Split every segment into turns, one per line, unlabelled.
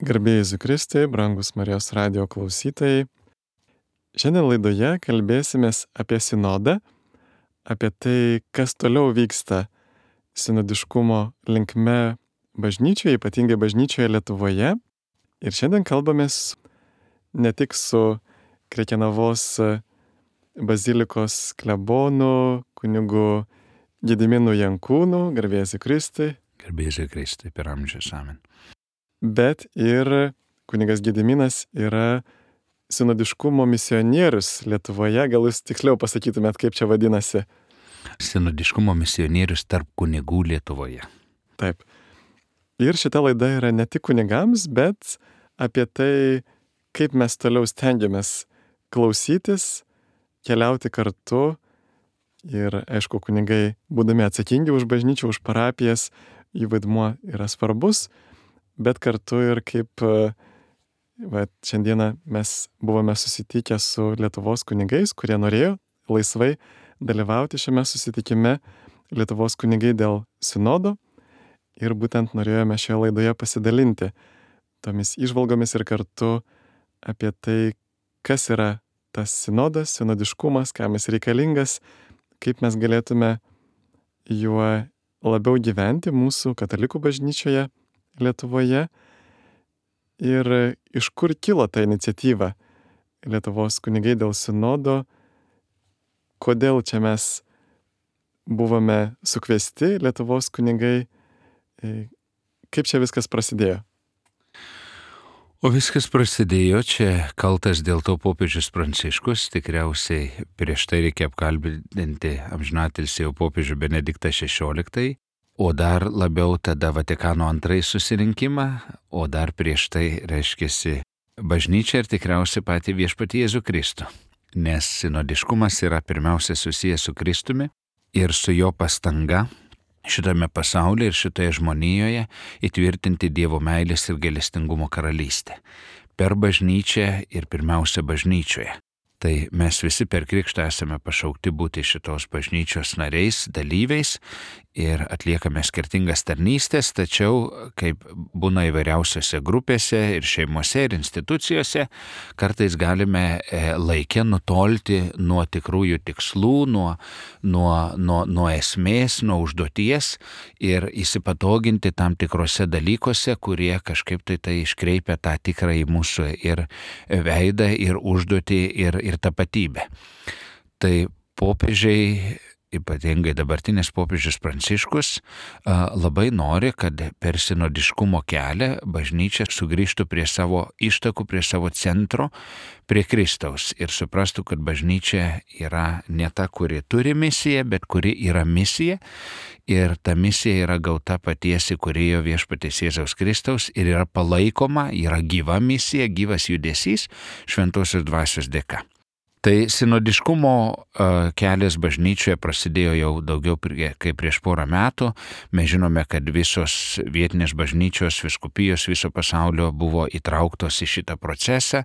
Garbė Jėzui Kristui, brangus Marijos radijo klausytojai. Šiandien laidoje kalbėsimės apie sinodą, apie tai, kas toliau vyksta sinodiškumo linkme bažnyčioje, ypatingai bažnyčioje Lietuvoje. Ir šiandien kalbamės ne tik su Krekenavos bazilikos klebonu, kunigu Gediminu Jankūnu, garbė Jėzui Kristui.
Garbė Jėzui Kristui per amžius, amen.
Bet ir kunigas Gediminas yra sinodiškumo misionierius Lietuvoje. Gal jūs tiksliau pasakytumėt, kaip čia vadinasi?
Sinodiškumo misionierius tarp kunigų Lietuvoje.
Taip. Ir šita laida yra ne tik kunigams, bet apie tai, kaip mes toliau stengiamės klausytis, keliauti kartu. Ir aišku, kunigai, būdami atsakingi už bažnyčią, už parapijas, jų vaidmuo yra svarbus. Bet kartu ir kaip šiandieną mes buvome susitikę su Lietuvos kunigais, kurie norėjo laisvai dalyvauti šiame susitikime, Lietuvos kunigai dėl sinodo. Ir būtent norėjome šioje laidoje pasidalinti tomis įžvalgomis ir kartu apie tai, kas yra tas sinodas, sinodiškumas, kam jis reikalingas, kaip mes galėtume juo labiau gyventi mūsų katalikų bažnyčioje Lietuvoje ir iš kur kilo ta iniciatyva Lietuvos kunigai dėl sinodo, kodėl čia mes buvome sukviesti Lietuvos kunigai, kaip čia viskas prasidėjo.
O viskas prasidėjo, čia kaltas dėl to popiežius Pranciškus, tikriausiai prieš tai reikia apkalbinti amžinatilsį popiežių Benediktą XVI, o dar labiau tada Vatikano II susirinkimą, o dar prieš tai reiškiasi bažnyčia ir tikriausiai patį viešpatį Jėzų Kristų. Nes sinodiškumas yra pirmiausia susijęs su Kristumi ir su jo pastanga šitame pasaulyje ir šitoje žmonijoje įtvirtinti Dievo meilės ir gailestingumo karalystę. Per bažnyčią ir pirmiausia bažnyčioje. Tai mes visi per krikštą esame pašaukti būti šitos bažnyčios nariais, dalyviais ir atliekame skirtingas tarnystės, tačiau kaip būna įvairiausiose grupėse ir šeimose ir institucijose, kartais galime laike nutolti nuo tikrųjų tikslų, nuo esmės, nuo užduoties ir įsipatoginti tam tikrose dalykuose, kurie kažkaip tai iškreipia tą tikrąjį mūsų ir veidą, ir užduotį, ir tapatybę. Tai popiežiai, ypatingai dabartinis popiežius Pranciškus, labai nori, kad per sinodiškumo kelią bažnyčia sugrįžtų prie savo ištakų, prie savo centro, prie Kristaus ir suprastų, kad bažnyčia yra ne ta, kuri turi misiją, bet kuri yra misija ir ta misija yra gauta paties įkūrėjo viešpaties Jėzaus Kristaus ir yra palaikoma, yra gyva misija, gyvas judesys šventosios dvasios dėka. Tai sinodiškumo kelias bažnyčioje prasidėjo jau daugiau kaip prieš porą metų. Mes žinome, kad visos vietinės bažnyčios, vyskupijos viso pasaulio buvo įtrauktos į šitą procesą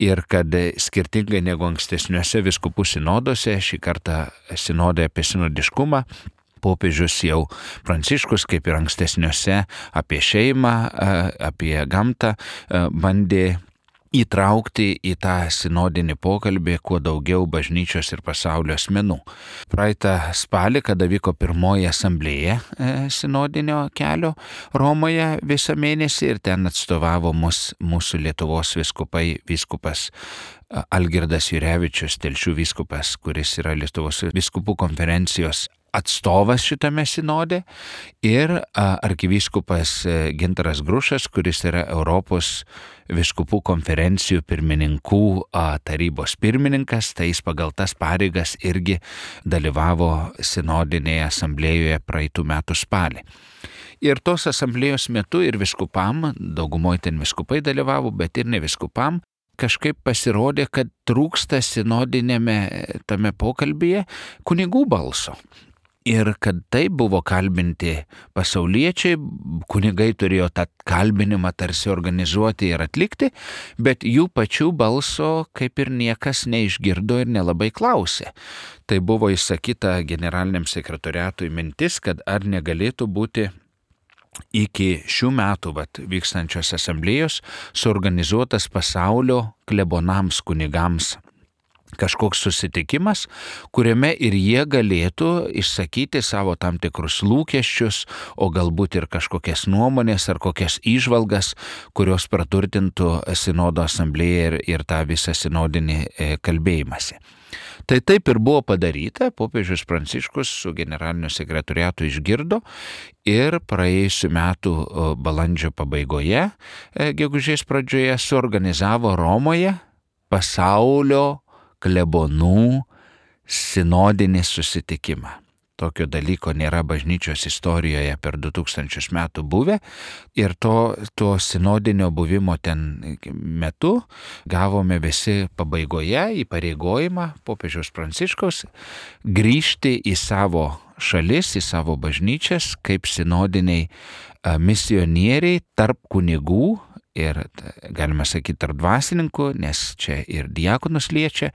ir kad skirtingai negu ankstesniuose vyskupų sinoduose, šį kartą sinodai apie sinodiškumą, popiežius jau Pranciškus, kaip ir ankstesniuose, apie šeimą, apie gamtą, bandė įtraukti į tą sinodinį pokalbį kuo daugiau bažnyčios ir pasaulio asmenų. Praeitą spalį, kada vyko pirmoji asamblėja sinodinio kelio Romoje visą mėnesį ir ten atstovavo mūsų Lietuvos vyskupas Algirdas Jurevičius, Telšių vyskupas, kuris yra Lietuvos vyskupų konferencijos atstovas šitame sinode ir arkivyskupas Gintaras Grušas, kuris yra Europos vyskupų konferencijų pirmininkų tarybos pirmininkas, tai jis pagal tas pareigas irgi dalyvavo sinodinėje asamblėjoje praeitų metų spalį. Ir tos asamblėjos metu ir viskupam, daugumoje ten viskupai dalyvavo, bet ir ne viskupam, kažkaip pasirodė, kad trūksta sinodinėme tame pokalbyje kunigų balso. Ir kad tai buvo kalbinti pasauliečiai, kunigai turėjo tą kalbinimą tarsi organizuoti ir atlikti, bet jų pačių balso kaip ir niekas neišgirdo ir nelabai klausė. Tai buvo įsakyta generaliniam sekretoriatui mintis, kad ar negalėtų būti iki šių metų vykstančios asamblėjos suorganizuotas pasaulio klebonams kunigams kažkoks susitikimas, kuriame ir jie galėtų išsakyti savo tam tikrus lūkesčius, o galbūt ir kažkokias nuomonės ar kokias įžvalgas, kurios praturtintų sinodo asamblėją ir tą visą sinodinį kalbėjimąsi. Tai taip ir buvo padaryta, popiežius Pranciškus su generaliniu sekretoriatu išgirdo ir praėjusiu metu balandžio pabaigoje, gegužės pradžioje, suorganizavo Romoje pasaulio klebonų sinodinį susitikimą. Tokio dalyko nėra bažnyčios istorijoje per 2000 metų buvę ir to sinodinio buvimo ten metu gavome visi pabaigoje įpareigojimą popiežiaus Pranciškaus grįžti į savo šalis, į savo bažnyčias kaip sinodiniai misionieriai tarp kunigų ir, galima sakyti, tarp dvasininkų, nes čia ir diakonus liečia,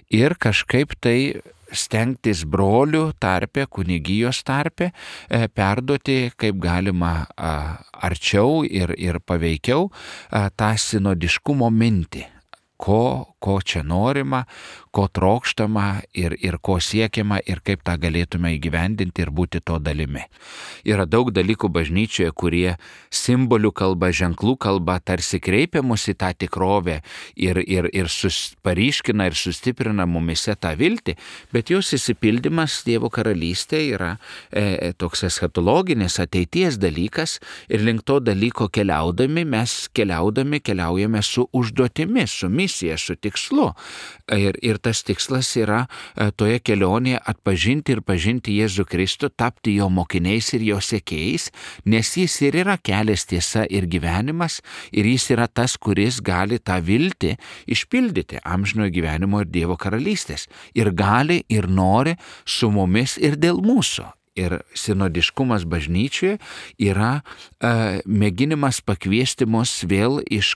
ir kažkaip tai stengtis brolių tarpe, kunigijos tarpe, perduoti kaip galima arčiau ir paveikiau tą sinodiškumo mintį. Ko čia norima, ko trokštama ir ko siekiama ir kaip tą galėtume įgyvendinti ir būti to dalimi. Yra daug dalykų bažnyčioje, kurie simbolių kalba, ženklų kalba tarsi kreipia mus į tą tikrovę ir paryškina ir sustiprina mumise tą viltį, bet jos įsipildymas Dievo karalystėje yra toks eschatologinis ateities dalykas ir link to dalyko keliaujame su užduotimi, su misija, su tikslu. Ir tas tikslas yra toje kelionėje atpažinti ir pažinti Jėzų Kristų, tapti jo mokiniais ir jo sekėjais, nes jis ir yra kelias, tiesa ir gyvenimas, ir jis yra tas, kuris gali tą viltį išpildyti amžinojo gyvenimo ir Dievo karalystės. Ir gali ir nori su mumis ir dėl mūsų. Ir sinodiškumas bažnyčioje yra mėginimas pakviesti mus vėl iš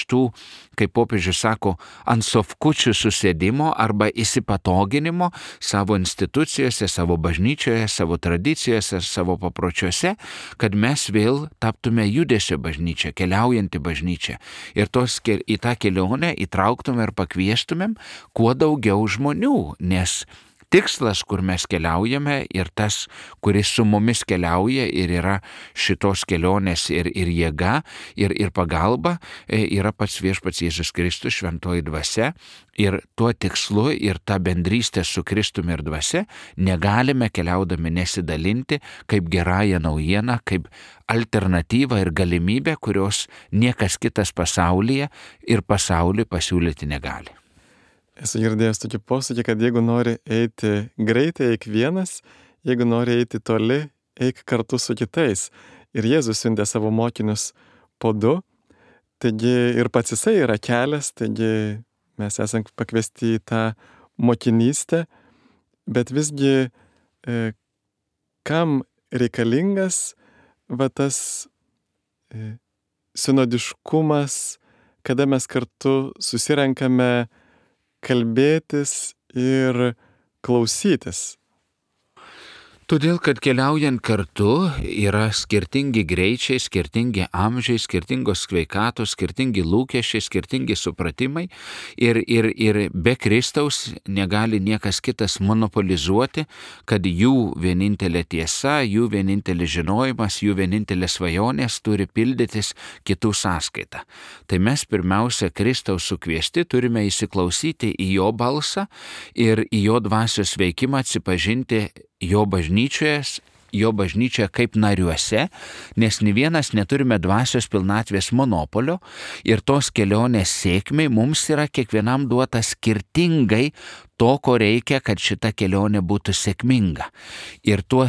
tų, kaip popiežius sako, ant sofkučių susėdimo arba įsipatoginimo savo institucijose, savo bažnyčioje, savo tradicijose, savo papročiuose, kad mes vėl taptume judesio bažnyčia, keliaujanti bažnyčia. Ir į tą kelionę įtrauktume ir pakvieštumėm kuo daugiau žmonių, nes tikslas, kur mes keliaujame ir tas, kuris su mumis keliauja ir yra šitos kelionės ir jėga, ir pagalba, yra pats viešpats Jėzus Kristus, šventoji dvasia. Ir tuo tikslu ir tą bendrystę su Kristumi ir dvasia negalime keliaudami nesidalinti kaip gerąją naujieną, kaip alternatyvą ir galimybę, kurios niekas kitas pasaulyje ir pasauliui pasiūlyti negali.
Esu girdėjęs tokį posakį, kad jeigu nori eiti greitai, eik vienas, jeigu nori eiti toli, eik kartu su kitais. Ir Jėzus siuntė savo mokinius po 2, taigi ir pats jisai yra kelias, taigi mes esame pakviesti į tą mokinystę, bet visgi kam reikalingas tas sinodiškumas, kada mes kartu susirenkame kalbėtis ir klausytis.
Todėl, kad keliaujant kartu yra skirtingi greičiai, skirtingi amžiai, skirtingos sveikatos, skirtingi lūkesčiai, skirtingi supratimai ir be Kristaus negali niekas kitas monopolizuoti, kad jų vienintelė tiesa, jų vienintelis žinojimas, jų vienintelė svajonės turi pildytis kitų sąskaitą. Tai mes pirmiausia Kristaus sukviesti turime įsiklausyti į jo balsą ir į jo dvasios veikimą atsipažinti jo bažnyčioje kaip nariuose, nes nė vienas neturime dvasios pilnatvės monopolio ir tos kelionės sėkmei mums yra kiekvienam duota skirtingai to, ko reikia, kad šita kelionė būtų sėkminga. Ir tuo,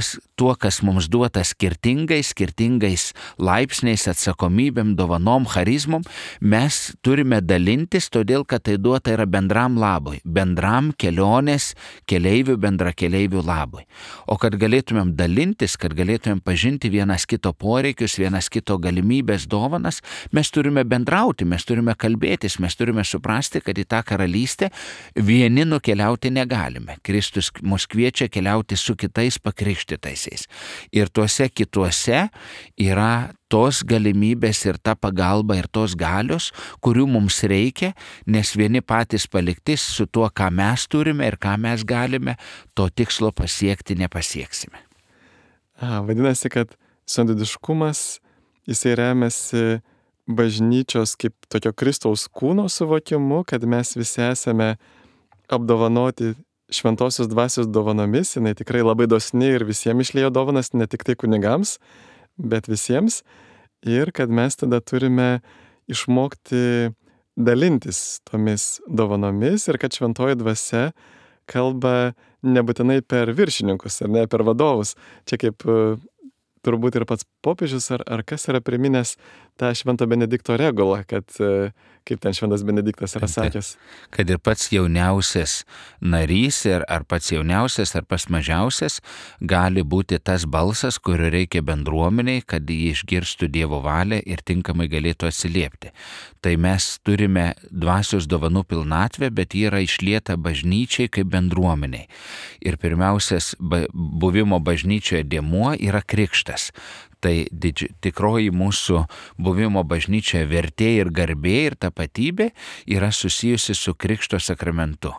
kas mums duota skirtingais laipsniais, atsakomybėm, dovanom, charizmom, mes turime dalintis, todėl, kad tai duota yra bendram labui, bendram kelionės keleivių, bendrakeleivių labui. O kad galėtumėm dalintis, kad galėtumėm pažinti vienas kito poreikius, vienas kito galimybės, dovanas, mes turime bendrauti, mes turime kalbėtis, mes turime suprasti, kad į tą karalystę vieni nukeliauja keliauti negalime. Kristus mus kviečia keliauti su kitais pakrikštytaisiais. Ir tuose kituose yra tos galimybės ir ta pagalba ir tos galios, kurių mums reikia, nes vieni patys palikti su tuo, ką mes turime ir ką mes galime, to tikslo pasiekti nepasieksime.
Vadinasi, kad sinodiškumas, jisai remiasi bažnyčios kaip tokio Kristaus kūno suvokimu, kad mes visi esame apdovanoti šventosios dvasios dovanomis, jinai tikrai labai dosni ir visiems išliejo dovanas, ne tik tai kunigams, bet visiems, ir kad mes tada turime išmokti dalintis tomis dovanomis ir kad šventoji dvasia kalba nebūtinai per viršininkus ar ne per vadovus. Čia kaip turbūt ir pats popiežius ar kas yra priminęs tą Švento Benedikto regulą, kad kaip ten Šventas Benediktas yra sakęs.
Kad ir pats jauniausias narys ar pats jauniausias ar pats mažiausias gali būti tas balsas, kurio reikia bendruomeniai, kad jį išgirstų Dievo valią ir tinkamai galėtų atsiliepti. Tai mes turime dvasios dovanų pilnatvę, bet ji yra išlieta bažnyčiai kaip bendruomeniai. Ir pirmiausias buvimo bažnyčioje dėmuo yra krikštas. Tai tikroji mūsų buvimo bažnyčioje vertė ir garbė ir tapatybė yra susijusi su Krikšto sakramentu.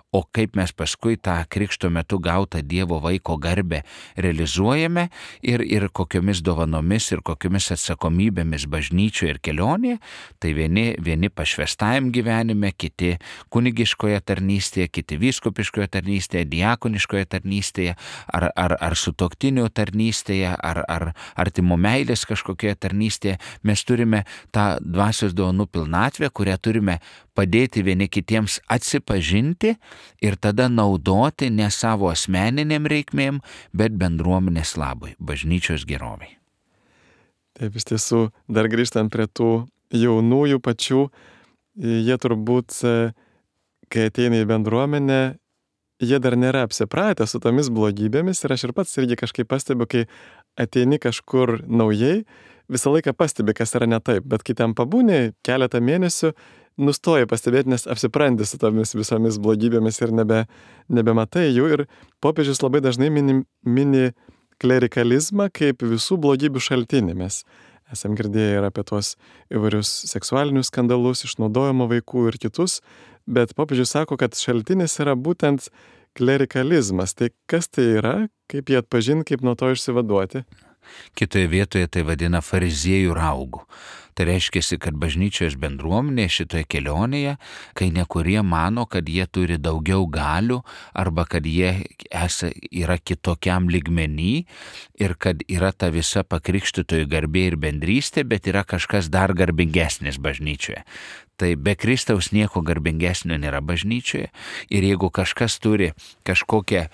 O kaip mes paskui tą Krikšto metu gautą Dievo vaiko garbę realizuojame ir kokiomis dovanomis ir kokiomis atsakomybėmis bažnyčioje ir kelionėje, tai vieni pašvestajam gyvenime, kiti kunigiškoje tarnystėje, kiti vyskupiškoje tarnystėje, diakoniškoje tarnystėje, ar sutuoktinių tarnystėje, ar artimo meilės kažkokioje tarnystėje, mes turime tą dvasios dovanų pilnatvę, kurią turime padėti vieni kitiems atsipažinti ir tada naudoti ne savo asmeniniam reikmėm, bet bendruomenės labui, bažnyčios geroviai.
Taip, iš tiesų, dar grįžtant prie tų jaunųjų pačių, jie turbūt, kai ateina į bendruomenę, jie dar nėra apsipratę su tomis blogybėmis ir aš ir pats irgi kažkaip pastebiu, kai ateini kažkur naujai, visą laiką pastebi, kas yra ne taip, bet kai ten pabūni keletą mėnesių, nustoji pastebėti, nes apsipranti su tomis visomis blogybėmis ir nebematai jų. Ir popiežius labai dažnai mini klerikalizmą kaip visų blogybių šaltinį. Mes esam girdėję ir apie tuos įvairius seksualinius skandalus, išnaudojimo vaikų ir kitus, bet popiežius sako, kad šaltinis yra būtent klerikalizmas. Tai kas tai yra, kaip jį atpažinti, kaip nuo to išsivaduoti?
Kitoje vietoje tai vadina fariziejų raugų. Tai reiškia, kad bažnyčios bendruomenė šitoje kelionėje, kai nekurie mano, kad jie turi daugiau galių arba kad jie yra kitokiam lygmenį ir kad yra ta visa pakrikštytojų garbė ir bendrystė, bet yra kažkas dar garbingesnis bažnyčioje. Tai be Kristaus nieko garbingesnio nėra bažnyčioje ir jeigu kažkas turi kažkokią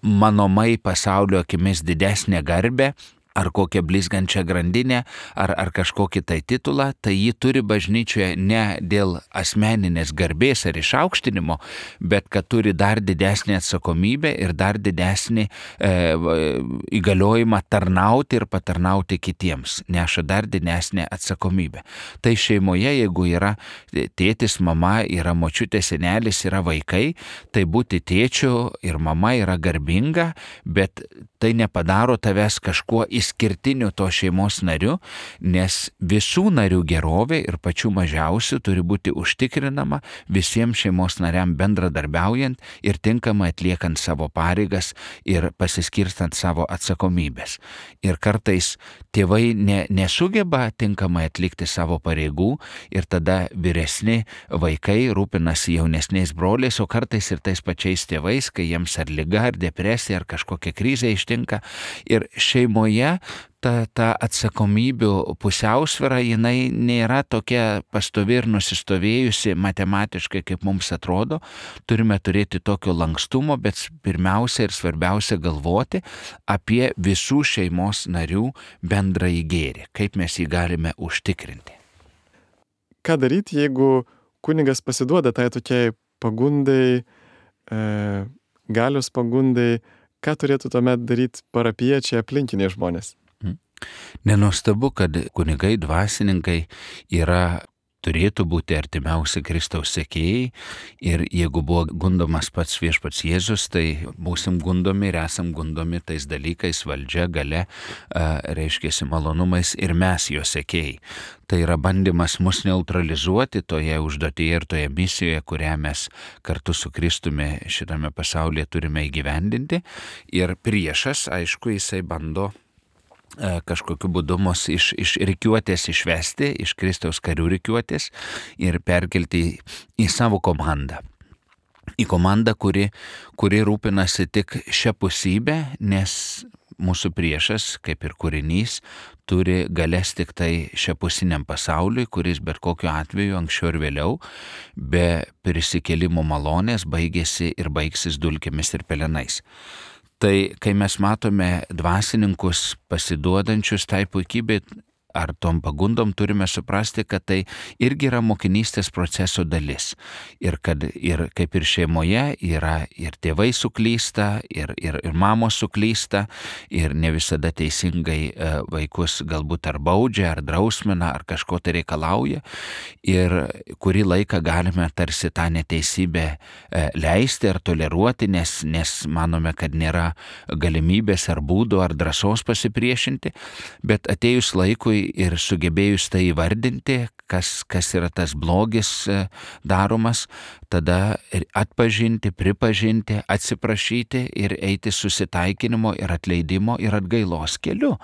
manomai pasaulio akimis didesnę garbę, ar kokią blizgančią grandinę, ar kažkokį tai titulą, tai jį turi bažnyčioje ne dėl asmeninės garbės ar išaukštinimo, bet kad turi dar didesnį atsakomybę ir dar didesnį įgaliojimą tarnauti ir patarnauti kitiems, neša dar didesnę atsakomybę. Tai šeimoje, jeigu yra tėtis, mama, yra močiutė, senelis, yra vaikai, tai būti tėčiu ir mama yra garbinga, bet tai nepadaro tavęs kažkuo išskirtiniu to šeimos nariu, nes visų narių gerovė ir pačių mažiausių turi būti užtikrinama visiems šeimos nariam bendradarbiaujant ir tinkamai atliekant savo pareigas ir pasiskirstant savo atsakomybės. Ir kartais tėvai nesugeba tinkamai atlikti savo pareigų ir tada vyresni vaikai rūpinasi jaunesniais broliais, o kartais ir tais pačiais tėvais, kai jiems ar liga, ar depresija, ar kažkokia krizė ištinka. Ir šeimoje ta atsakomybių pusiausvyra, jinai nėra tokia pastovi ir nusistovėjusi matematiškai, kaip mums atrodo. Turime turėti tokio lankstumo, bet pirmiausia ir svarbiausia galvoti apie visų šeimos narių bendrąjį gėrį, kaip mes jį galime užtikrinti.
Ką daryti, jeigu kunigas pasiduoda tai tokiai pagundai, galios pagundai, ką turėtų tuomet daryti parapiečiai, aplinkiniai žmonės?
Nenuostabu, kad kunigai, dvasininkai yra turėtų būti artimiausi Kristaus sekėjai ir jeigu buvo gundomas pats viešpats Jėzus, tai būsim gundomi ir esam gundomi tais dalykais, valdžia, galia, reiškiasi malonumais ir mes jo sekėjai. Tai yra bandymas mus neutralizuoti toje užduotyje ir toje misijoje, kurią mes kartu su Kristumi šitame pasaulyje turime įgyvendinti. Ir priešas, aišku, jisai bando kažkokiu būdu mus iš rikiuotės išvesti, iš Kristaus karių rikiuotės ir perkelti į savo komandą. Į komandą, kuri rūpinasi tik šią pusybę, nes mūsų priešas, kaip ir kūrinys, turi galės tik tai šiapusiniam pasauliui, kuris bet kokiu atveju anksčiau ir vėliau be prisikėlimo malonės baigėsi ir baigsis dulkėmis ir pelenais. Tai kai mes matome dvasininkus pasiduodančius tai puikybei ar tom pagundom, turime suprasti, kad tai irgi yra mokinystės proceso dalis. Ir kad kaip ir šeimoje yra ir tėvai suklysta, ir mamos suklysta, ir ne visada teisingai vaikus galbūt ar baudžia, ar drausmina, ar kažko tai reikalauja. Ir kurį laiką galime tarsi tą neteisybę leisti ar toleruoti, nes manome, kad nėra galimybės ar būdų ar drąsos pasipriešinti, bet atėjus laikui ir sugebėjus tai įvardinti, kas yra tas blogis daromas, tada atpažinti, pripažinti, atsiprašyti ir eiti susitaikinimo ir atleidimo ir atgailos keliu.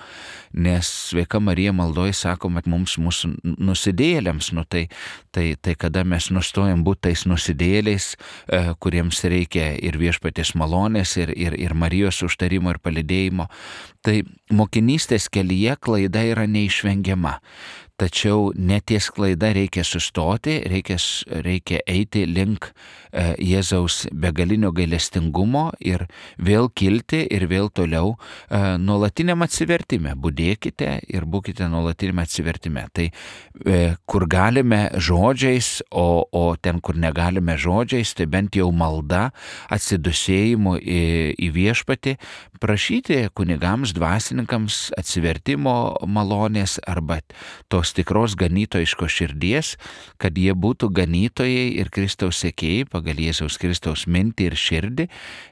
Nes Sveika Marija maldoje sakoma, mums mūsų nusidėjėliams, tai kada mes nustojam būti tais nusidėjėliais, kuriems reikia ir viešpaties malonės, ir Marijos užtarimo ir palydėjimo, tai mokinystės kelyje klaida yra neišvengiama. Tačiau neties klaida reikia sustoti, reikia eiti link Jėzaus begalinio gailestingumo ir vėl kilti ir vėl toliau nuolatiniam atsivertime. Budėkite ir būkite nuolatiniam atsivertime. Tai kur galime žodžiais, o ten, kur negalime žodžiais, tai bent jau malda, atsidusėjimu į viešpatį, prašyti kunigams, dvasininkams atsivertimo malonės arba tos tikros ganytojiškos širdies, kad jie būtų ganytojai ir Kristaus sekėjai pagal Jėzaus Kristaus mintį ir širdį,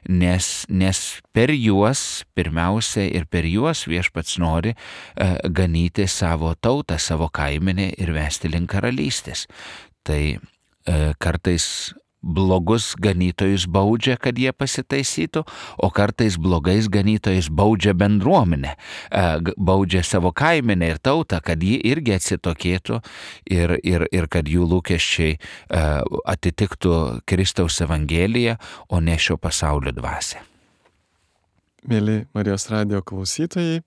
nes per juos, pirmiausia ir per juos viešpats nori ganyti savo tautą, savo kaimenę ir vesti link karalystės. Tai kartais blogus ganytojus baudžia, kad jie pasitaisytų, o kartais blogais ganytojais baudžia bendruomenę, baudžia savo kaimenę ir tautą, kad ji irgi atsitokėtų ir kad jų lūkesčiai atitiktų Kristaus Evangeliją, o ne šio pasaulio dvasią.
Mėly Marijos radijo klausytojai,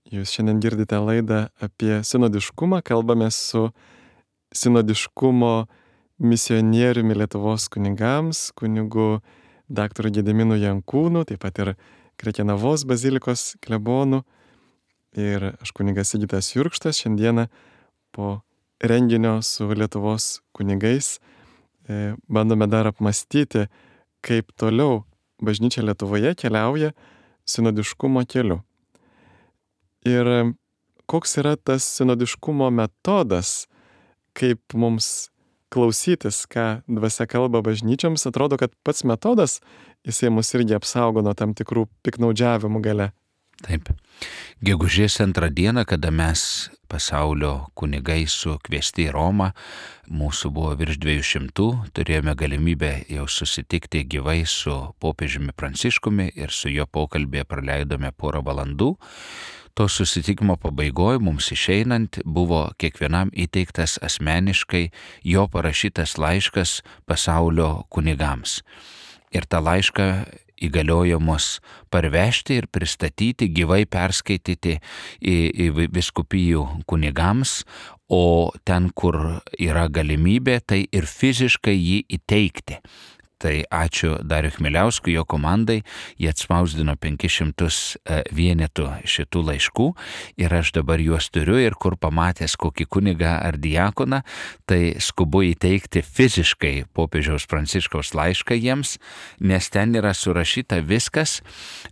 jūs šiandien girdite laidą apie sinodiškumą, kalbame su sinodiškumo misionieriumi Lietuvos kunigams, kunigu daktaru Gediminu Jankūnu, taip pat ir Krekenavos bazilikos klebonu. Ir aš kunigas Sigitas Jurkštas šiandieną po renginio su Lietuvos kunigais bandome dar apmastyti, kaip toliau bažnyčia Lietuvoje keliauja sinodiškumo keliu. Ir koks yra tas sinodiškumo metodas, kaip mums klausytis, ką dvasia kalba bažnyčioms, atrodo, kad pats metodas, jisai mus irgi apsaugo nuo tam tikrų piknaudžiavimų gale.
Taip. Gegužės 2 dieną, kada mes pasaulio kunigai sukviesti į Romą, mūsų buvo virš 200, turėjome galimybę jau susitikti gyvai su popiežiumi Pranciškumi ir su jo pokalbėje praleidome porą valandų. To susitikimo pabaigoje mums išeinant buvo kiekvienam įteiktas asmeniškai jo parašytas laiškas pasaulio kunigams. Ir tą laišką įgaliojo mus parvežti ir pristatyti, gyvai perskaityti į vyskupijų kunigams, o ten, kur yra galimybė, tai ir fiziškai jį įteikti. Tai ačiū Dariui Chmieliauskui, jo komandai, jie atspausdino 500 vienetų šitų laiškų ir aš dabar juos turiu ir kur pamatęs kokį kunigą ar diakoną, tai skubu įteikti fiziškai popiežiaus Pranciškaus laišką jiems, nes ten yra surašyta viskas,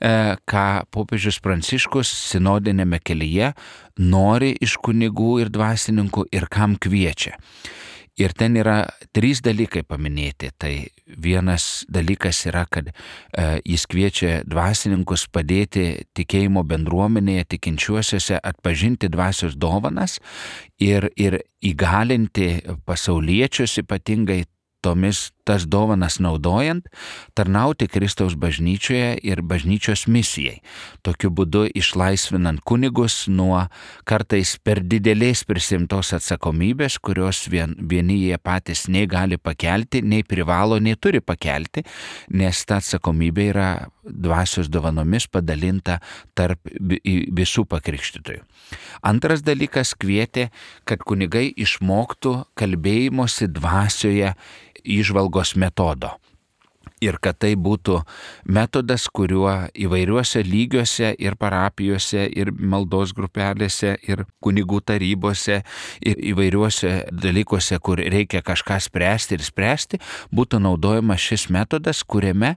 ką popiežius Pranciškus sinodinėme kelyje nori iš kunigų ir dvasininkų ir kam kviečia. Ir ten yra 3 dalykai paminėti. Tai vienas dalykas yra, kad jis kviečia dvasininkus padėti tikėjimo bendruomenėje, tikinčiuosiuose atpažinti dvasios dovanas ir įgalinti pasauliečius ypatingai tas dovanas naudojant, tarnauti Kristaus bažnyčioje ir bažnyčios misijai. Tokiu būdu išlaisvinant kunigus nuo kartais per didelės prisimtos atsakomybės, kurios vieni jie patys nei gali pakelti, nei privalo, nei turi pakelti, nes ta atsakomybė yra dvasios dovanomis padalinta tarp visų pakrikštytojų. Antras dalykas kvietė, kad kunigai išmoktų kalbėjimosi dvasioje įžvalgos metodo. Ir kad tai būtų metodas, kuriuo įvairiuose lygiuose ir parapijose, ir maldos grupelėse, ir kunigų tarybose, ir įvairiuose dalykuose, kur reikia kažką spręsti, būtų naudojamas šis metodas, kuriame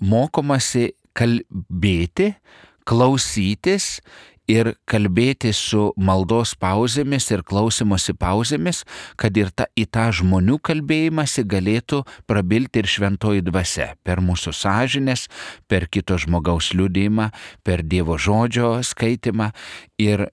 mokomasi kalbėti, klausytis ir kalbėti su maldos pauzėmis ir klausimosi pauzėmis, kad ir į tą žmonių kalbėjimąsi galėtų prabilti ir šventoji dvasia per mūsų sąžinės, per kito žmogaus liudijimą, per Dievo žodžio skaitimą. Ir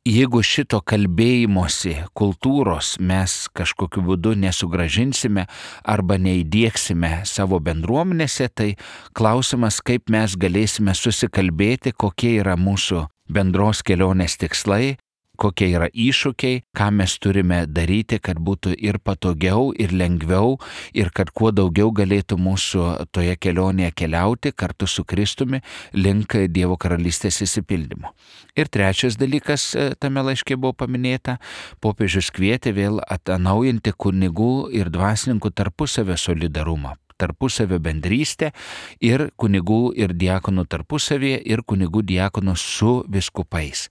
jeigu šito kalbėjimosi kultūros mes kažkokiu būdu nesugrąžinsime arba neįdieksime savo bendruomenėse, tai klausimas, kaip mes galėsime susikalbėti, kokie yra mūsų bendros kelionės tikslai, kokie yra iššūkiai, ką mes turime daryti, kad būtų ir patogiau, ir lengviau, ir kad kuo daugiau galėtų mūsų toje kelionėje keliauti kartu su Kristumi link Dievo karalystės išsipildymo. Ir trečias dalykas tame laiške buvo paminėta, popiežius kvietė vėl atnaujinti kunigų ir dvasininkų tarpusavio solidarumą, tarpusavio bendrystę ir kunigų ir diakonų tarpusavėje ir kunigų diakonų su vyskupais.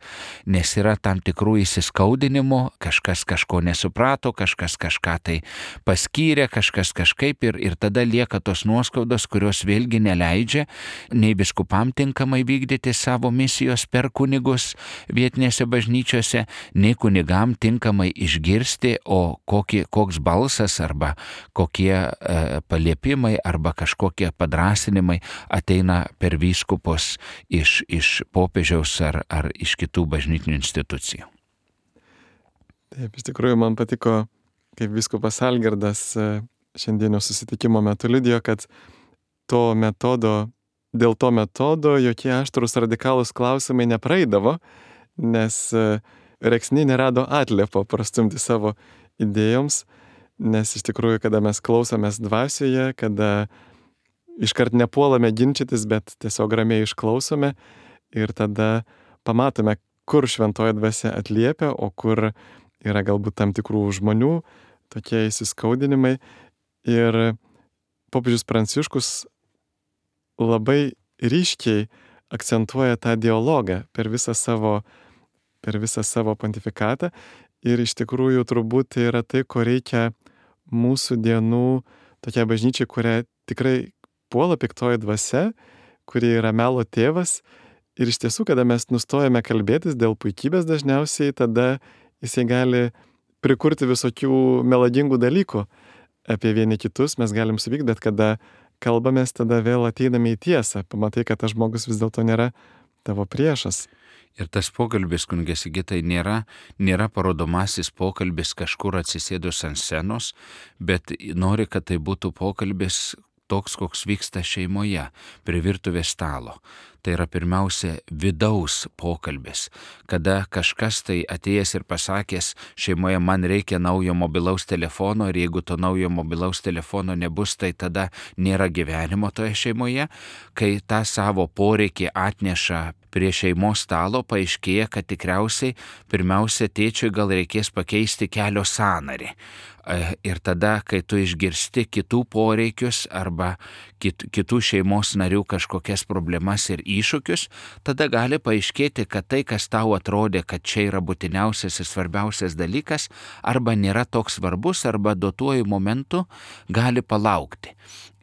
Nes yra tam tikrų įsiskaudinimų, kažkas kažko nesuprato, kažkas kažką tai paskyrė, kažkas kažkaip ir tada lieka tos nuoskaudos, kurios vėlgi neleidžia nei vyskupam tinkamai vykdyti savo misijos per kunigus vietinėse bažnyčiose, nei kunigam tinkamai išgirsti, o koks balsas arba kokie paliepimai arba kažkokie padrasinimai ateina per vyskupus iš popiežiaus ar iš kitų bažnytinių institucijų.
Taip, iš tikrųjų man patiko, kaip vyskupas Algirdas šiandienio susitikimo metu liudijo, kad dėl to metodo jokie aštrūs radikalūs klausimai nepraeidavo, nes Rėksniai nerado atliepo prastumti savo idėjoms. Nes iš tikrųjų, kada mes klausomės dvasioje, kada iškart nepuolame ginčytis, bet tiesiog ramiai išklausome ir tada pamatome, kur šventoji dvasia atliepia, o kur yra galbūt tam tikrų žmonių tokie įsiskaudinimai. Ir popiežius Pranciškus labai ryškiai akcentuoja tą dialogą per visą savo pontifikatą. Ir iš tikrųjų turbūt tai yra tai, ko reikia mūsų dienų tokia bažnyčia, kuria tikrai puola piktoji dvasia, kuri yra melo tėvas. Ir iš tiesų, kada mes nustojame kalbėtis dėl puikybės dažniausiai, tada jisai gali prikurti visokių melagingų dalykų apie vieni kitus, mes galim suvykti, bet kada kalbamės, tada vėl ateiname į tiesą. Pamatai, kad tas žmogus vis dėlto nėra tavo priešas.
Ir tas pokalbis, kunige Sigitai, nėra parodomasis pokalbis kažkur atsisėdus ant scenos, bet nori, kad tai būtų pokalbis toks, koks vyksta šeimoje, prie virtuvės stalo. Tai yra pirmiausia vidaus pokalbis, kada kažkas tai atėjęs ir pasakęs šeimoje, man reikia naujo mobilaus telefono ir jeigu to naujo mobilaus telefono nebus, tai tada nėra gyvenimo toje šeimoje. Kai tą savo poreikį atneša prie šeimos stalo, paaiškėja, kad tikriausiai pirmiausia tėčiui gal reikės pakeisti kelio sąnarį. Ir tada, kai tu išgirsti kitų poreikius arba kitų šeimos narių kažkokias problemas ir iššūkius, tada gali paaiškėti, kad tai, kas tau atrodė, kad čia yra būtiniausias ir svarbiausias dalykas, arba nėra toks svarbus, arba duotuoju momentu gali palaukti.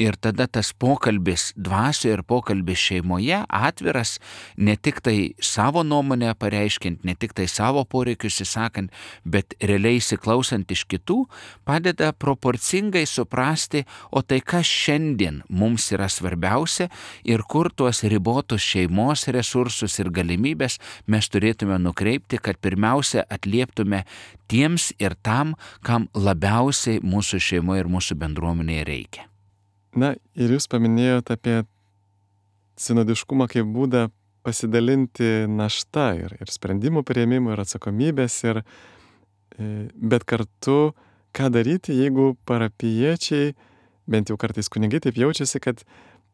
Ir tada tas pokalbis dvasioje ir pokalbis šeimoje atviras, ne tik tai savo nuomonę pareiškint, ne tik tai savo poreikius įsakant, bet realiai įsiklausant iš kitų, padeda proporcingai suprasti, o tai kas šiandien mums yra svarbiausia ir kur tuos ribotus šeimos resursus ir galimybės mes turėtume nukreipti, kad pirmiausia atlieptume tiems ir tam, kam labiausiai mūsų šeimoje ir mūsų bendruomenėje reikia.
Na ir jūs paminėjote apie sinodiškumą kaip būdą pasidalinti naštą ir sprendimų priėmimų ir atsakomybės, bet kartu ką daryti, jeigu parapijiečiai, bent jau kartais kunigai taip jaučiasi, kad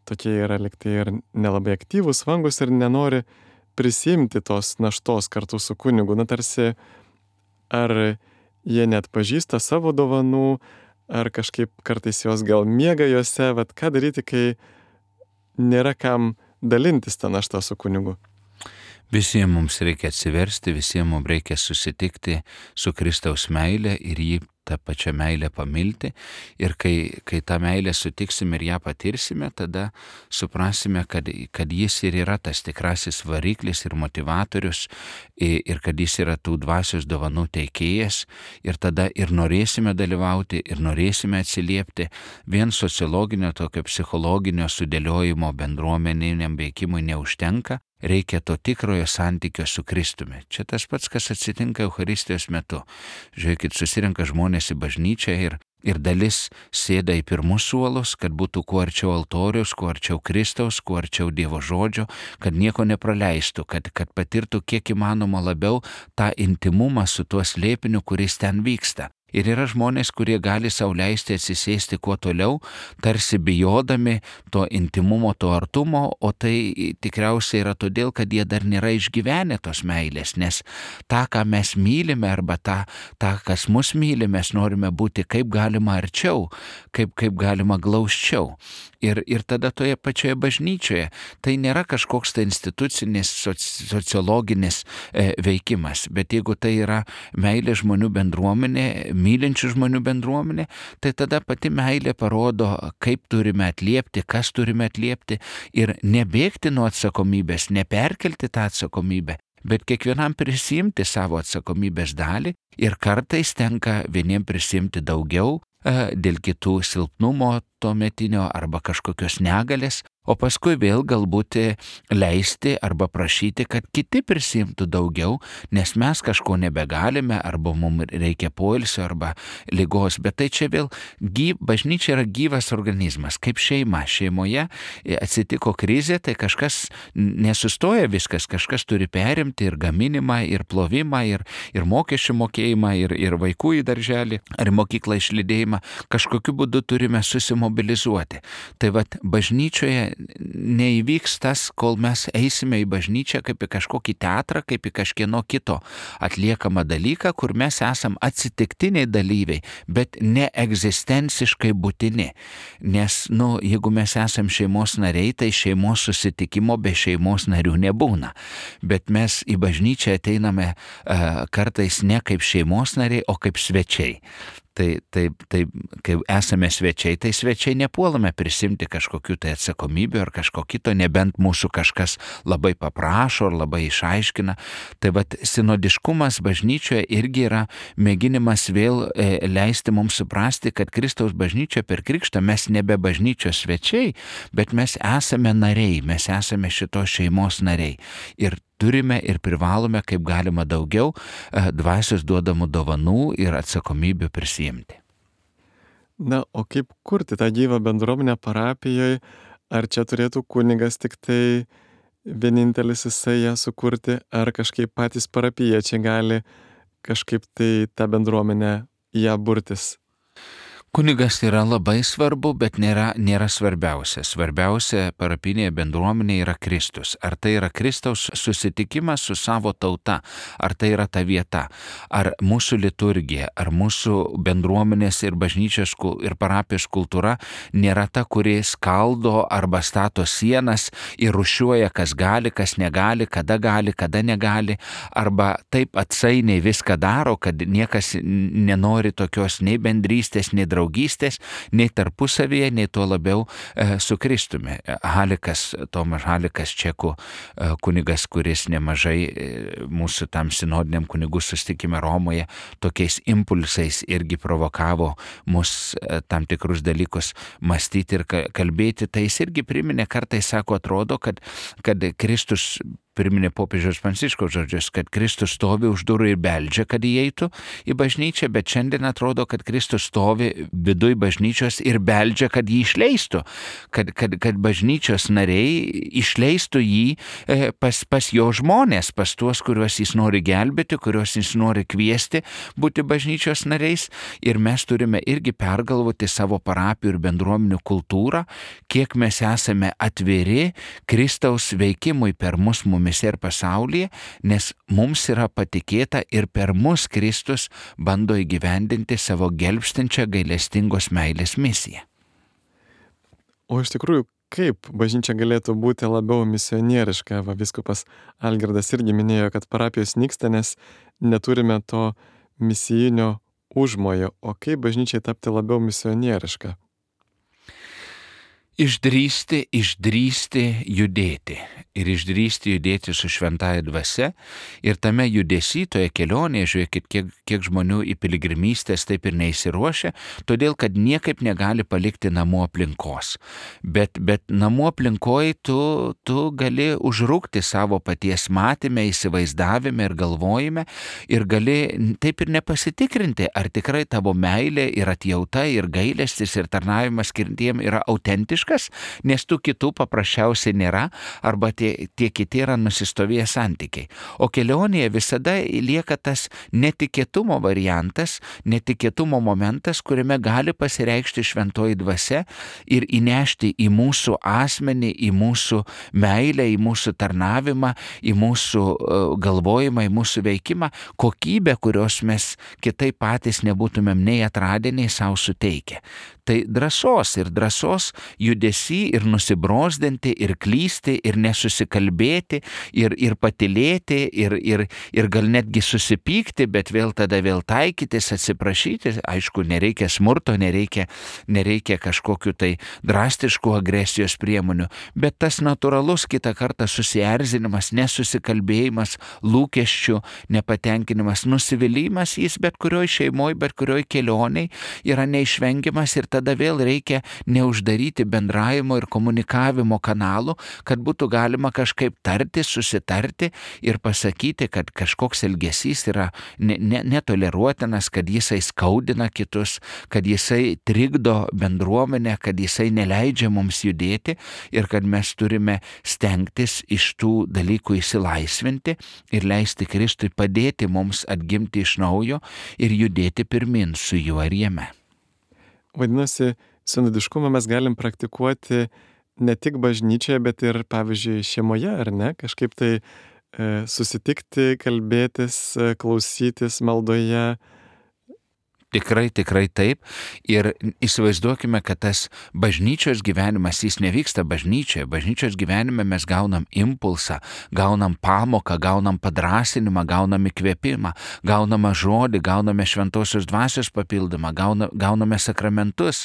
tokie yra liktai ir nelabai aktyvūs, vangus ir nenori prisimti tos naštos kartu su kunigu. Na tarsi, ar jie net pažįsta savo dovanų, ar kažkaip kartais jos gal miega juose, vat ką daryti, kai nėra kam dalintis tą naštą su kunigu?
Visiems mums reikia atsiversti, visiems mums reikia susitikti su Kristaus meile ir jį tą pačią meilę pamilti. Ir kai tą meilę sutiksim ir ją patirsime, tada suprasime, kad jis ir yra tas tikrasis variklis ir motivatorius, ir kad jis yra tų dvasios dovanų teikėjas. Ir tada ir norėsime dalyvauti, ir norėsime atsiliepti. Vien sociologinio, tokio psichologinio sudėliojimo bendruomeniniam veikimui neužtenka. Reikia to tikrojo santykio su Kristumi. Čia tas pats, kas atsitinka Eucharistijos metu. Žiūrėkit, susirenka žmonės į bažnyčią ir dalis sėda į pirmus suolus, kad būtų kuo arčiau altoriaus, kuo arčiau Kristaus, kuo arčiau Dievo žodžio, kad nieko nepraleistų, kad patirtų kiek įmanoma labiau tą intimumą su tuo slėpiniu, kuris ten vyksta. Ir yra žmonės, kurie gali sau leisti atsisėsti kuo toliau, tarsi bijodami to intimumo, to artumo, o tai tikriausiai yra todėl, kad jie dar nėra išgyvenę tos meilės, nes tą, ką mes mylime, arba tą, kas mus myli, mes norime būti kaip galima arčiau, kaip galima glausčiau. Ir tada toje pačioje bažnyčioje tai nėra kažkoks tai institucinis, sociologinis veikimas, bet jeigu tai yra meilė žmonių bendruomenė, mylinčių žmonių bendruomenė, tai tada pati meilė parodo, kaip turime atliepti, kas turime atliepti ir nebėgti nuo atsakomybės, neperkelti tą atsakomybę, bet kiekvienam prisimti savo atsakomybės dalį ir kartais tenka vieniem prisimti daugiau dėl kitų silpnumo tuometinio arba kažkokios negalės, o paskui vėl galbūt leisti arba prašyti, kad kiti prisimtų daugiau, nes mes kažko nebegalime arba mums reikia poilsio arba ligos. Bet tai čia vėl bažnyčia yra gyvas organizmas, kaip šeima. Šeimoje atsitiko krizė, tai kažkas nesustoja viskas, kažkas turi perimti ir gaminimą, ir plovimą, ir mokesčių mokėjimą, ir vaikų į darželį, ar mokyklą išlydėjimą. Kažkokiu būdu turime susimobilizuoti. Tai vat bažnyčioje neįvyks tas, kol mes eisime į bažnyčią kaip į kažkokį teatrą, kaip į kažkieno kito atliekamą dalyką, kur mes esam atsitiktiniai dalyviai, bet ne egzistenciškai būtini. Nes, jeigu mes esam šeimos nariai, tai šeimos susitikimo be šeimos narių nebūna. Bet mes į bažnyčią ateiname kartais ne kaip šeimos nariai, o kaip svečiai. Tai kai esame svečiai, tai svečiai nepuolame prisimti kažkokių tai atsakomybių ar kažko kito, nebent mūsų kažkas labai paprašo ar labai išaiškina. Tai vat sinodiškumas bažnyčioje irgi yra mėginimas vėl leisti mums suprasti, kad Kristaus bažnyčia per krikštą mes nebe bažnyčios svečiai, bet mes esame nariai, mes esame šitos šeimos nariai. Ir turime ir privalome kaip galima daugiau dvasios duodamų dovanų ir atsakomybių prisiimti.
Na, o kaip kurti tą gyvą bendruomenę parapijoje? Ar čia turėtų kunigas tik tai vienintelis jisai ją sukurti, ar kažkaip patys parapijiečiai gali kažkaip tai tą bendruomenę ją burtis?
Kunigas yra labai svarbu, bet nėra svarbiausia. Svarbiausia parapinėje bendruomenėje yra Kristus. Ar tai yra Kristaus susitikimas su savo tauta, ar tai yra ta vieta, ar mūsų liturgija, ar mūsų bendruomenės ir bažnyčios ir parapijos kultūra nėra ta, kuri skaldo arba stato sienas ir rušiuoja, kas gali, kas negali, kada negali, arba taip atsainiai viską daro, kad niekas nenori tokios nei bendrystės, nei draugystės, nei tarpusavėje, nei tuo labiau su Kristumi. Tomas Halikas, čekų kunigas, kuris nemažai mūsų tam sinodiniam kunigų susitikime Romoje tokiais impulsais irgi provokavo mus tam tikrus dalykus mąstyti ir kalbėti, tai jis irgi priminė, kartais sako, atrodo, kad Kristus priminė popiežiaus Pranciškaus žodžius, kad Kristus stovi už durų ir beldžia, kad įeitų į bažnyčią, bet šiandien atrodo, kad Kristus stovi viduj bažnyčios ir beldžia, kad jį išleistų, kad bažnyčios nariai išleistų jį pas jo žmonės, pas tuos, kuriuos jis nori gelbėti, kuriuos jis nori kviesti būti bažnyčios nariais, ir mes turime irgi pergalvoti savo parapijų ir bendruomenių kultūrą, kiek mes esame atviri Kristaus veikimui per mumis ir pasaulyje, nes mums yra patikėta ir per mus Kristus bando įgyvendinti savo gelbstinčią gailestingos meilės misiją.
O iš tikrųjų, kaip bažnyčia galėtų būti labiau misionieriška? Vyskupas Algirdas irgi minėjo, kad parapijos nyksta, nes neturime to misijinio užmojo. O kaip bažnyčiai tapti labiau misionieriška?
Išdrįsti judėti ir išdrįsti judėti su šventąja dvasia, ir tame judesy, toje kelionėje, žiūrėkit, kiek žmonių į piligrimystės taip ir neįsiruošia, todėl kad niekaip negali palikti namų aplinkos. Bet namų aplinkoje tu gali užrūkti savo paties matyme, įsivaizdavime ir galvojime, ir gali taip ir nepasitikrinti, ar tikrai tavo meilė ir atjauta ir gailestis ir tarnavimas kitiem yra autentiškas, nes tų kitų paprasčiausiai nėra, arba tie kiti yra nusistovėję santykiai. O kelionėje visada lieka tas netikėtumo variantas, netikėtumo momentas, kuriame gali pasireikšti šventoji dvasia ir įnešti į mūsų asmenį, į mūsų meilę, į mūsų tarnavimą, į mūsų galvojimą, į mūsų veikimą kokybę, kurios mes kitaip patys nebūtumėm nei atradę, nei savo suteikę. Tai drąsos judesy ir nusibrozdinti, ir klysti, ir nesusikalbėti, ir patylėti, ir gal netgi susipykti, bet vėl taikytis, atsiprašyti. Aišku, nereikia smurto, nereikia kažkokių tai drastiškų agresijos priemonių, bet tas natūralus kitą kartą susierzinimas, nesusikalbėjimas, lūkesčių nepatenkinimas, nusivylimas, jis bet kurioj šeimoje, bet kurioj kelioniai yra neišvengiamas, ir tada vėl reikia neuždaryti bendravimo ir komunikavimo kanalų, kad būtų galima kažkaip tartis, susitarti ir pasakyti, kad kažkoks elgesys yra netoleruotinas, kad jisai skaudina kitus, kad jisai trikdo bendruomenę, kad jisai neleidžia mums judėti, ir kad mes turime stengtis iš tų dalykų išsilaisvinti ir leisti Kristui padėti mums atgimti iš naujo ir judėti pirmin su juo ir jame.
Vadinasi, sinodiškumą mes galim praktikuoti ne tik bažnyčioje, bet ir, pavyzdžiui, šeimoje, ar ne? Kažkaip tai susitikti, kalbėtis, klausytis maldoje.
Tikrai taip. Ir įsivaizduokime, kad tas bažnyčios gyvenimas, jis nevyksta bažnyčioje. Bažnyčios gyvenime mes gaunam impulsą, gaunam pamoką, gaunam padrąsinimą, gaunam įkvėpimą, gauname žodį, gauname šventosios dvasios papildymą, gauname sakramentus.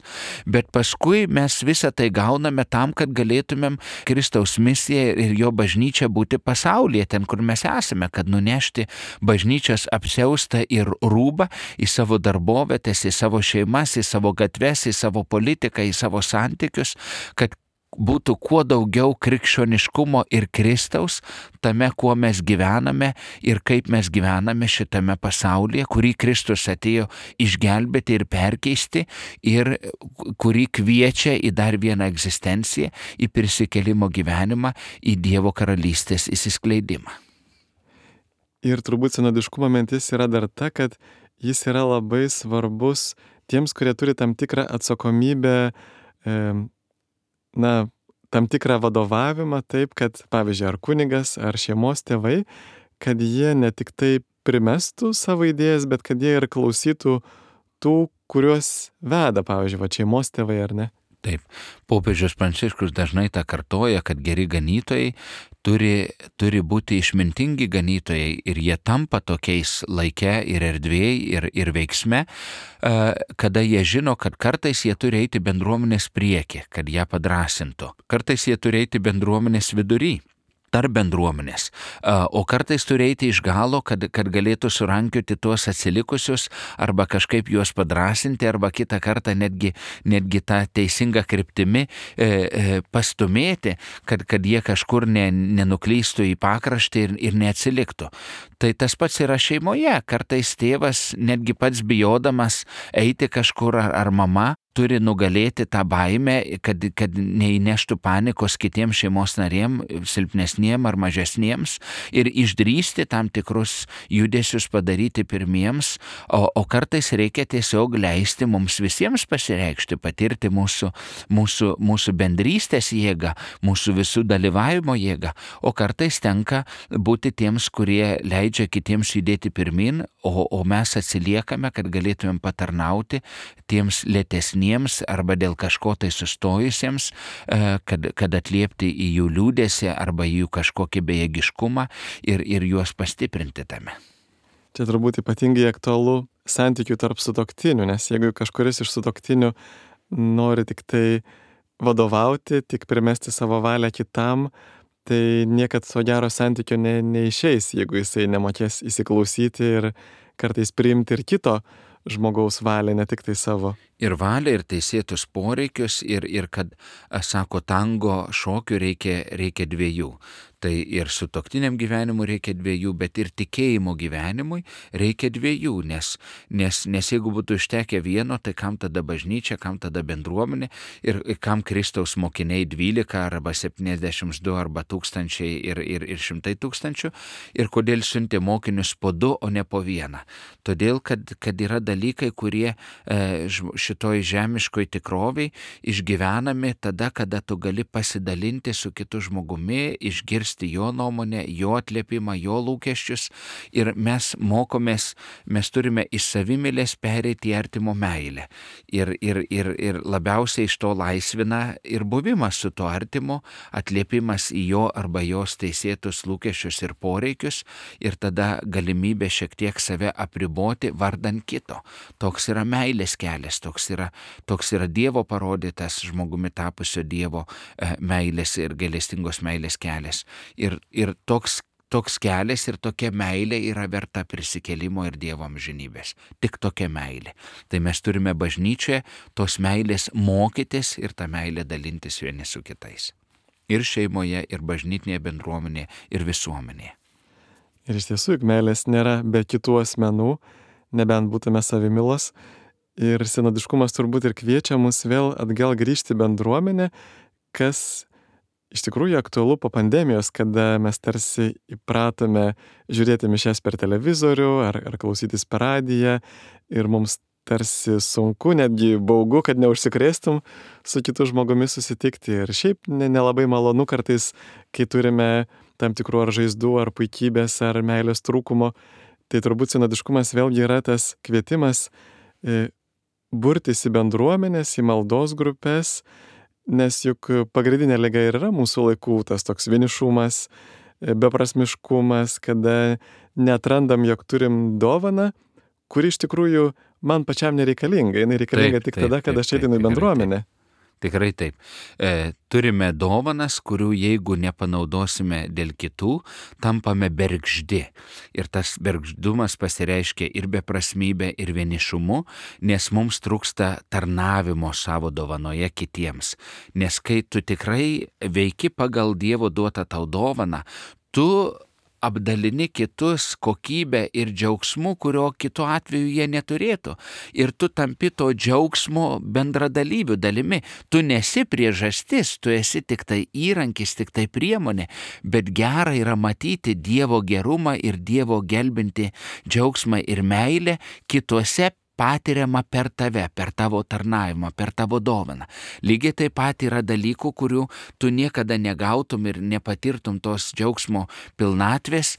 Bet paskui mes visą tai gauname tam, kad galėtumėm Kristaus misiją ir jo bažnyčią būti pasaulyje, ten, kur mes esame, kad nunešti bažnyčios apsiaustą ir rūbą į savo darbą, į savo šeimas, į savo gatves, į savo politiką, į savo santykius, kad būtų kuo daugiau krikščioniškumo ir Kristaus tame, kuo mes gyvename ir kaip mes gyvename šitame pasaulyje, kurį Kristus atėjo išgelbėti ir perkeisti, ir kurį kviečia į dar vieną egzistenciją, į prisikėlimo gyvenimą, į Dievo karalystės įsiskleidimą.
Ir turbūt sinodiškumo mintis yra dar ta, kad jis yra labai svarbus tiems, kurie turi tam tikrą atsakomybę, tam tikrą vadovavimą, taip, kad, pavyzdžiui, ar kunigas, ar šeimos tėvai, kad jie ne tik tai primestų savo idėjas, bet kad jie ir klausytų tų, kuriuos veda, pavyzdžiui, šeimos tėvai, ar ne?
Taip, popiežius Pranciškus dažnai tą kartoja, kad geri ganytojai turi būti išmintingi ganytojai ir jie tampa tokiais laike ir erdvėje ir veiksme, kada jie žino, kad kartais jie turi eiti bendruomenės priekį, kad ją padrasintų. Kartais jie turi eiti bendruomenės vidury, tarp bendruomenės, o kartais turi eiti iš galo, kad galėtų surankioti tuos atsilikusius arba kažkaip juos padrasinti arba kitą kartą netgi tą teisingą kryptimi pastumėti, kad jie kažkur nenuklystų į pakraštį ir neatsiliktų. Tai tas pats yra šeimoje. Kartais tėvas netgi pats bijodamas eiti kažkur ar mama turi nugalėti tą baimę, kad neįneštų panikos kitiems šeimos narėm, silpnesniem ar mažesniems, ir išdrįsti tam tikrus judesius padaryti pirmiems, o kartais reikia tiesiog leisti mums visiems pasireikšti, patirti mūsų bendrystės jėgą, mūsų visų dalyvavimo jėgą, o kartais tenka būti tiems, kurie leidžia kitiems judėti pirmin, o mes atsiliekame, kad galėtumėm patarnauti tiems lėtesniems arba dėl kažko tai sustojusiems, kad atliepti į jų liūdesį arba į jų kažkokį bejėgiškumą ir juos pastiprinti tame.
Čia turbūt ypatingai aktualu santykių tarp sutuoktinių, nes jeigu kažkuris iš sutuoktinių nori tik tai vadovauti, tik primesti savo valią kitam, tai niekad to gero santykio neišeis, jeigu jisai nemokės įsiklausyti ir kartais priimti ir kito žmogaus valią, ne tik tai savo.
Ir valią, ir teisėtus poreikius, ir kad, sako, tango šokių reikia dviejų. Tai ir sutuoktiniam gyvenimui reikia dviejų, bet ir tikėjimo gyvenimui reikia dviejų, nes jeigu būtų užtekę vieno, tai kam tada bažnyčia, kam tada bendruomenė ir kam Kristaus mokiniai 12 arba 72 arba 1000 ir 100 000 ir kodėl siuntė mokinius po 2, o ne po 1. Todėl, kad yra dalykai, kurie šitoj žemiškoj tikroviai išgyvenami tada, kada tu gali pasidalinti su kitu žmogumi, išgirsti jo nuomonę, jo atliepimą, jo lūkesčius ir mes mokomės, mes turime iš savimylės pereiti į artimo meilę. Ir labiausiai iš to laisvina ir buvimas su to artimu, atliepimas į jo arba jos teisėtus lūkesčius ir poreikius ir tada galimybė šiek tiek save apriboti vardan kito. Toks yra meilės kelias, toks yra Dievo parodytas žmogumi tapusio Dievo meilės ir gailestingos meilės kelias. Ir toks kelias ir tokia meilė yra verta prisikėlimo ir Dievo amžinybės. Tik tokia meilė. Tai mes turime bažnyčioje tos meilės mokytis ir tą meilę dalintis vieni su kitais. Ir šeimoje, ir bažnytinėje bendruomenėje, ir visuomenėje.
Ir iš tiesų, juk meilės nėra be kitų asmenų, nebent būtume savimilos. Ir sinodiškumas turbūt ir kviečia mus vėl atgal grįžti bendruomenę, kas iš tikrųjų aktualu po pandemijos, kada mes tarsi įpratome žiūrėti mišias per televizorių ar klausytis per radiją ir mums tarsi sunku, netgi baugu, kad neužsikrėstum su kitu žmogumi susitikti. Ir šiaip nelabai malonu kartais, kai turime tam tikrų ar žaizdų, ar puikybės, ar meilės trūkumo. Tai turbūt sinodiškumas vėlgi yra tas kvietimas burtis į bendruomenės, į maldos grupės, nes juk pagrindinė liga ir yra mūsų laikų tas toks vienišumas, beprasmiškumas, kada neatrandam, jog turim dovaną, kuri iš tikrųjų man pačiam nereikalinga. Jinai reikalinga tik tada, kada aš ateinu į bendruomenę.
Tikrai taip. Turime dovanas, kurių jeigu nepanaudosime dėl kitų, tampame bergždi. Ir tas bergždumas pasireiškia ir beprasmybė, ir vienišumu, nes mums trūksta tarnavimo savo dovanoje kitiems. Nes kai tu tikrai veiki pagal Dievo duotą tau dovaną, tu apdalini kitus kokybę ir džiaugsmu, kurio kitu atveju jie neturėtų. Ir tu tampi to džiaugsmo bendradalyvių dalimi. Tu nesi priežastis, tu esi tik tai įrankis, tik tai priemonė, bet gera yra matyti Dievo gerumą ir Dievo gelbinti džiaugsmą ir meilę kituose patiriama per tave, per tavo tarnavimą, per tavo dovaną. Lygiai taip pat yra dalykų, kurių tu niekada negautum ir nepatirtum tos džiaugsmo pilnatvės,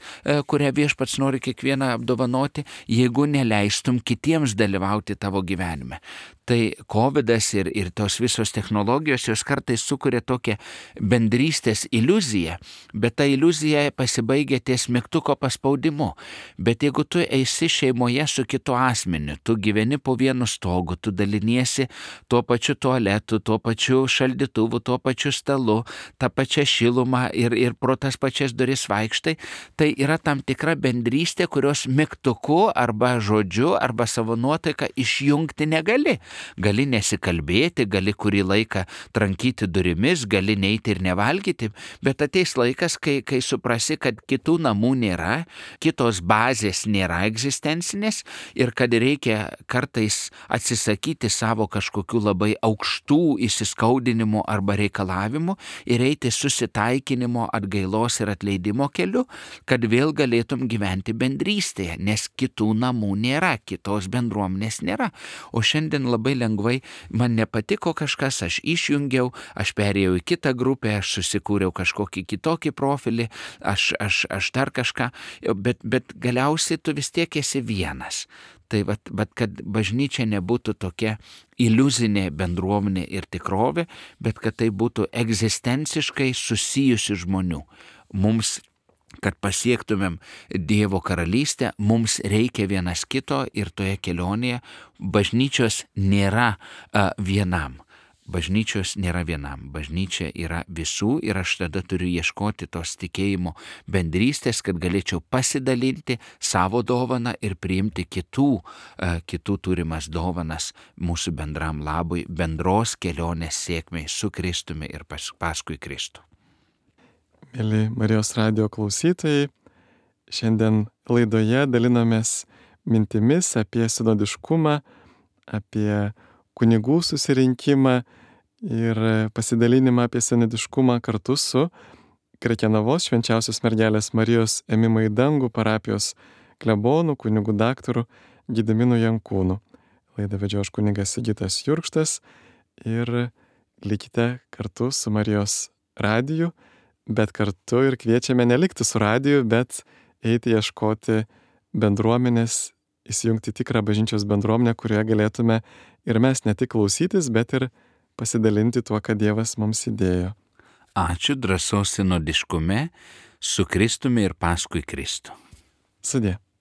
kurią Viešpats nori kiekvieną apdovanoti, jeigu neleistum kitiems dalyvauti tavo gyvenime. Tai COVIDas ir tos visos technologijos, jos kartais sukuria tokią bendrystės iliuziją, bet ta iliuzija pasibaigia ties mygtuko paspaudimu. Bet jeigu tu esi šeimoje su kitu asmeniu, tu gyveni po vienu stogu, tu daliniesi tuo pačiu tualetu, tuo pačiu šaldytuvu, tuo pačiu stalu, tą pačią šilumą ir pro tas pačias duris vaikštai, tai yra tam tikra bendrystė, kurios mygtuku arba žodžiu arba savo nuotaiką išjungti negali. Gali nesikalbėti, gali kurį laiką trankyti durimis, gali neiti ir nevalgyti, bet ateis laikas, kai suprasi, kad kitų namų nėra, kitos bazės nėra egzistencinės ir kad reikia kartais atsisakyti savo kažkokių labai aukštų įsiskaudinimų arba reikalavimų ir eiti susitaikinimo, atgailos ir atleidimo keliu, kad vėl galėtum gyventi bendrystėje, nes kitų namų nėra, kitos bendruomenės nėra. O šiandien labai lengvai man nepatiko kažkas, aš išjungiau, aš perėjau į kitą grupę, aš susikūriau kažkokį kitokį profilį, aš dar kažką, bet galiausiai tu vis tiek esi vienas. Tai bet kad bažnyčia nebūtų tokia iliuzinė bendruomenė ir tikrovė, bet kad tai būtų egzistenciškai susijusi žmonių. Mums, kad pasiektumėm Dievo karalystę, mums reikia vienas kito ir toje kelionėje bažnyčios nėra vienam. Bažnyčios nėra vienam, bažnyčia yra visų ir aš tada turiu ieškoti tos tikėjimo bendrystės, kad galėčiau pasidalinti savo dovaną ir priimti kitų turimas dovanas mūsų bendram labui, bendros kelionės sėkmei su Kristumi ir paskui Kristų.
Mėly Marijos radijo klausytojai, šiandien laidoje dalinamės mintimis apie sinodiškumą, apie kunigų susirinkimą ir pasidalinimą apie sinodiškumą kartu su Krekenavos Švenčiausios Mergelės Marijos Ėmimo į dangų parapijos klebonu, kunigu daktaru Gediminu Jankūnu. Laidą vedžiau aš kunigas Sigitas Jurkštas ir likite kartu su Marijos radiju, bet kartu ir kviečiame nelikti su radiju, bet eiti ieškoti bendruomenės, įsijungti tikrą bažnyčios bendruomenę, kurioje galėtume ir mes ne tik klausytis, bet ir pasidalinti tuo, ką Dievas mums įdėjo.
Ačiū, drąsos sinodiškume su Kristumi ir paskui Kristų.
Sudie.